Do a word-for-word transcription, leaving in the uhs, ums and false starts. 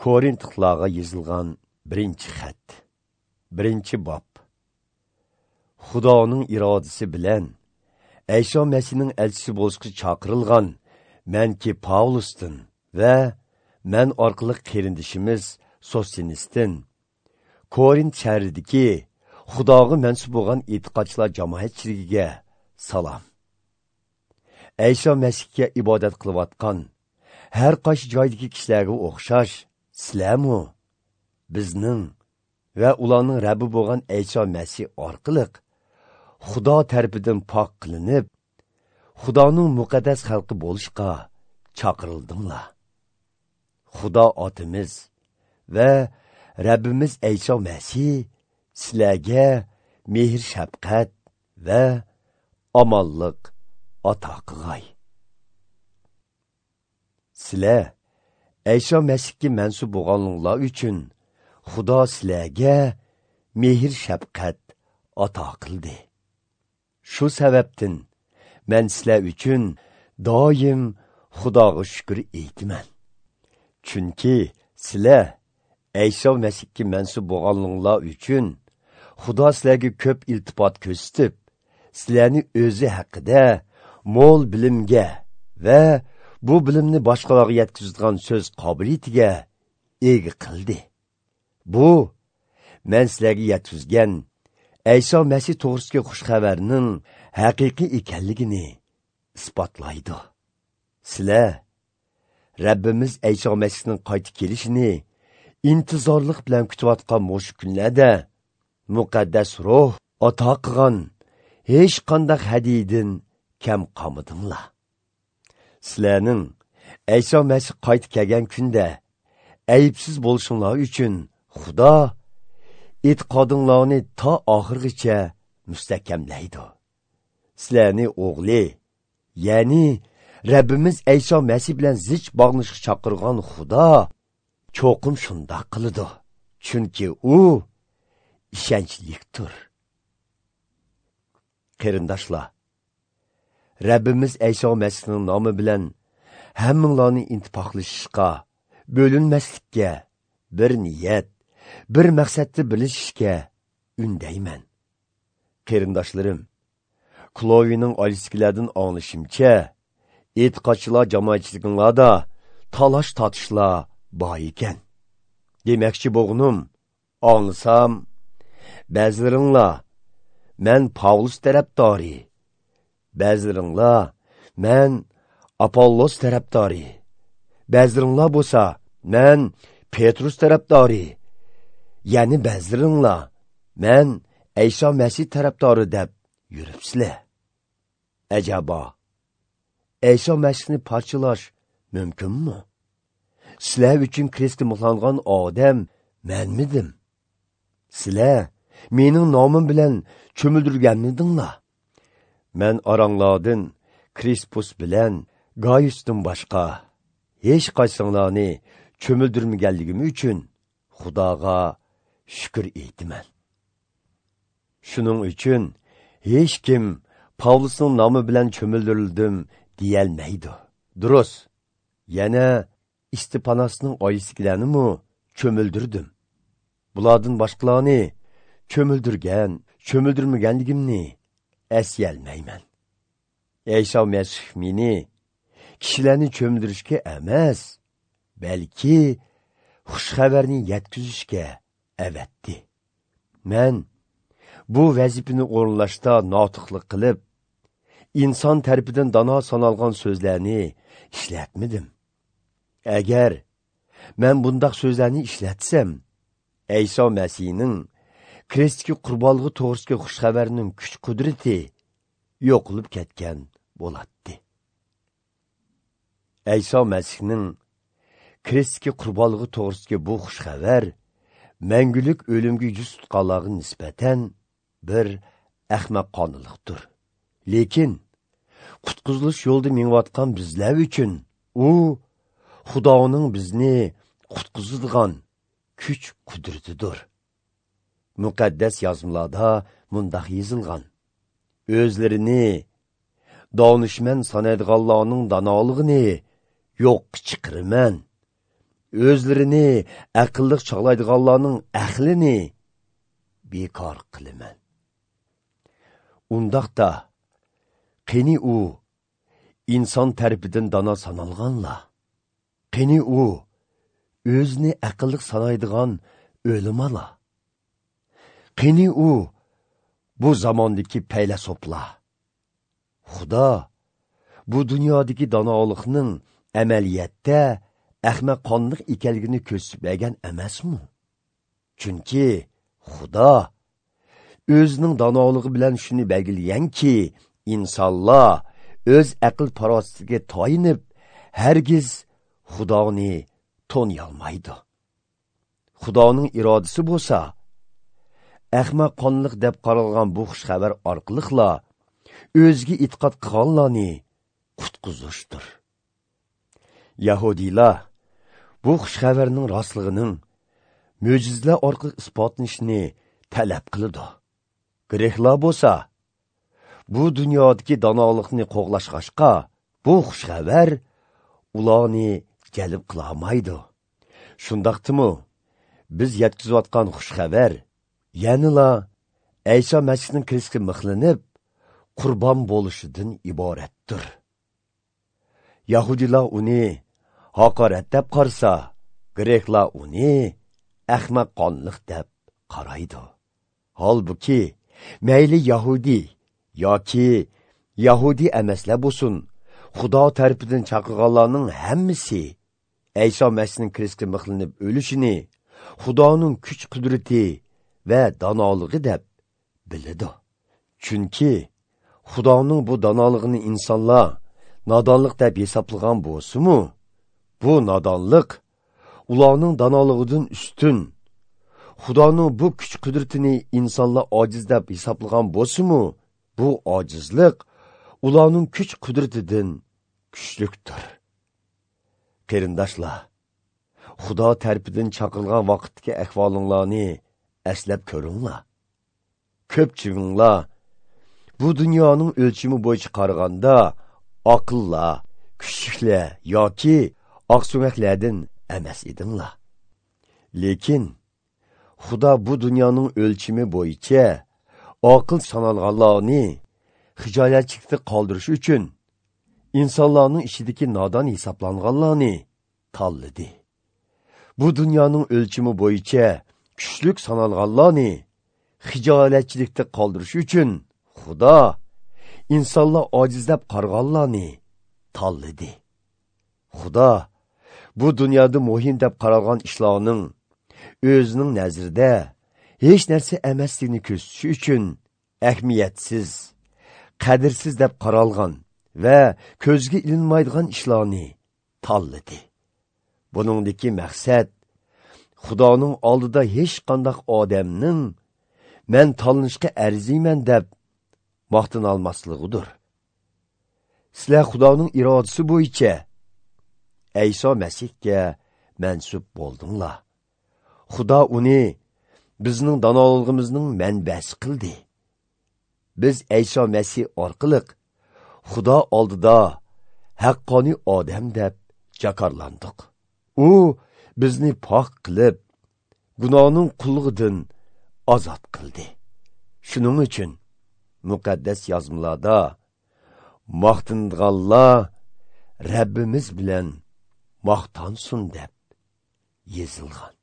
Korintiqlarga yozilgan birinchi xat. Birinchi bob. Xudoning irodasi bilan Ayso Masihning elchisi bo'lishga chaqirilgan menki Pavlusdan va men orqali qarindishimiz Sostinisdan Korint shahridagi Xudoga mansub bo'lgan e'tiqodchilar jamoatchiligiga salom. Ayso Masihga ibodat qilayotgan har qaysi joydagi kishilarga o'xshash sizlarmi bizning va ularning Rabbi bo'lgan Ayso Masih orqali Xudo tarafidan pok qilinib, Xudoning muqaddas xalqi bo'lishga chaqirildinglar. Xudo otimiz va Rabbimiz Ayso Masih sizlarga mehr shafqat va omonlik ato qilg'ay. Sizlar Ayso Masihga mansub bo'lganinglar uchun Xudo sizlarga mehr shafqat ato qildi. Shu sababdan men sizlar uchun doim Xudoga shukr aytaman. Chunki sizlar Ayso Masihga mansub bo'lganinglar uchun Xudo sizlarga ko'p iltifot ko'rsatib, sizlarni o'zi haqida mo'l bilimga va bu bilimni boshqalarga yetkazadigan so'z qobiliyatiga ega qildi. Bu men sizlarga yetkazgan Ayso Masih to'g'risidagi xush xabarning haqiqiy ekanligini isbotlaydi. Sizlar Rabbimiz Ayso Masihning qaytib kelishini intizorlik bilan kutayotgan mushu kunlarda muqaddas ruh ato qilgan hech qanday hadiydan kam qolmadinglar. Sizlarning Ayso Masih qaytib kelgan kunda aybsiz bo'lishinglar uchun Xudo e'tiqodinglarni to oxirigacha mustahkamlaydi. Sizlarni o'g'li, ya'ni Rabbimiz Ayso Masih bilan zich bog'lanishga chaqirgan Xudo cho'qim shundoq qiladi. Chunki u ishonchlikdir. Qarindoshlar, Rabbimiz Ayso Masihning nomi bilan hammanglarni ittifoqlashishga, bo'linmaslikka, bir niyat, bir maqsadda birlashishga undayman. Qarindoshlarim, Klovining oilasidagilardan anglashimcha, e'tiqodchilar jamoatchiliginglarda talash tortishlar bor ekan. Demakchi bo'g'nim, anglasam, ba'zilaringlar men Pavlus tarafdori, ba'zilaringlar men Apollos tarafdori, ba'zilaringlar bo'lsa men Petrus tarafdori, ya'ni ba'zilaringlar men Ayso Masih tarafdori deb yuribsizlar. Acaba Ayso Masihni parchalash mumkinmi? Sizlar uchun krestga mixlangan odam menmidim? Sizlar mening nomim bilan cho'mildirganmidinglar? Men oranglardan Krispus bilan Gaiusdan boshqa hech qaysinglarni cho'mildirmaganligim uchun Xudoga shukr aytaman. Shuning uchun hech kim Pavlusning nomi bilan cho'mildirildim deyolmaydi. Durust, yana Istipanasning oilasidagilarni cho'mildirdim. Bulardan boshqalarni cho'mildirgan, cho'mildirmaganligimni eslolmayman. Ayso Masih meni kishilarni cho'mildirishga emas, balki xush xabarni yetkazishga avatdi. Men bu vazifani o'rinlashda notiqlik qilib, inson tarafidan dono sanalgan so'zlarni ishlatmadim. Agar men bundaq so'zlarni ishlatsam, Ayso Masihning krestga qurbonligi to'g'risidagi xush xabarning kuch-qudrati yo'qolib ketgan bo'ladi. Ayso Masihning krestga qurbonligi to'g'risidagi bu xush xabar mangulik o'limga yuz tutganlarga nisbatan bir ahmoqonlikdir. Lekin qutqizilish yo'lida mengayotgan bizlar uchun u Xudoning bizni qutqizadigan kuch qudratidir. Muqaddas yozmalarda mundoq yozilgan: o'zlarini donishmand sanaydiganlarning donolig'ini yo'qqa chiqaraman, O'zlarini aqlliq chog'laydiganlarning aqlini bekor qilaman. Undaqda qani u inson tarafidan dono sanalganlar? Qani u o'zini aqlliq sanaydigan o'limalar? Qani u bu zamondagi faylasoflar? Xudo bu dunyodagi donolikning amaliyotda ahmoqonlik ekanligini ko'rsatib bergan emasmi? Chunki Xudo o'zining donoligi bilan shuni belgilaganki, insonlar o'z aql farosatiga tayinib hargiz Xudoni to'niyolmaydi. Xudoning irodasi bo'lsa, ahmoqonlik deb qaralgan bu xush xabar orqaliqla o'ziga e'tiqod qilganlarni qutqizishdir. Yahudiylar bu xush xabarning rostligining mo'jizalar orqali isbotlanishini talab qiladi. Greklar bo'lsa, bu dunyodagi donolikni qo'g'lashg'ashqa bu xush xabar ularni jalb qilolmaydi. Shundaqdimi, biz yetkazayotgan xush xabar yanila Ayso Masihning krestga mixlanib qurbon bo'lishidan iboratdir. Yahudilar uni haqorat deb qarasa, greklar uni ahmoqonlik deb qaraydi. Holbuki, mayli yahudi yoki yahudi emaslar bo'lsin, Xudo tarafidan chaqirganlarning hammasi Ayso Masihning krestga mixlanib o'lishini Xudoning kuch-qudrati va donoligi deb biladi. Chunki Xudoning bu donoligini insonlar nodonlik deb hisoblagan bo'lsa-mu, bu nodonlik ularning donoligidan ustun. Xudoning bu kuch-qudratini insonlar ojiz deb hisoblagan bo'lsa-mu, bu ojizlik ularning kuch-qudratidan kuchlikdir. Qarindoshlar, Xudo tarafidan chaqirilgan vaqtdagi ahvolinglarni eslab ko'ringlar. Ko'pchiginglar bu dunyoning o'lchami bo'yicha qaraganda aqllar, kuchliklar yoki oqsumaklardan emas edinglar. Lekin Xudo bu dunyoning o'lchami bo'yicha aql sanalganlarni hijolatchilikda qoldirish uchun insonlarning ichidagi nodon hisoblanganlarni tanladi. Bu dunyoning o'lchami bo'yicha kuchlik sanalganlarni hijolatchilikda qoldirish uchun Xudo insonlar ojiz deb qarg'anlarni tanladi. Xudo bu dunyoda muhim deb qaralgan ishlarning o'zining nazarida hech narsa emasligini ko'rsatish uchun ahamiyatsiz, qadrsiz deb qaralgan va ko'zga ilinmaydigan ishlarni tanladi. Buningdagi maqsad Xudoning oldida hech qanday odamning men tanlanishga arziyman deb maqtana olmasligidir. Sizlar Xudoning irodasi bo'yicha Ayso Masihga mansub bo'ldinglar. Xudo uni bizning donoligimizning manbasi qildi. Biz Ayso Masih orqali Xudo oldida haqqoniy odam deb jakarlandik. U bizni pok qilib, gunohning qullugidan ozod qildi. Shuning uchun muqaddas yozmalarda maqtanganlar Rabbimiz bilan maqtansin deb yozilgan.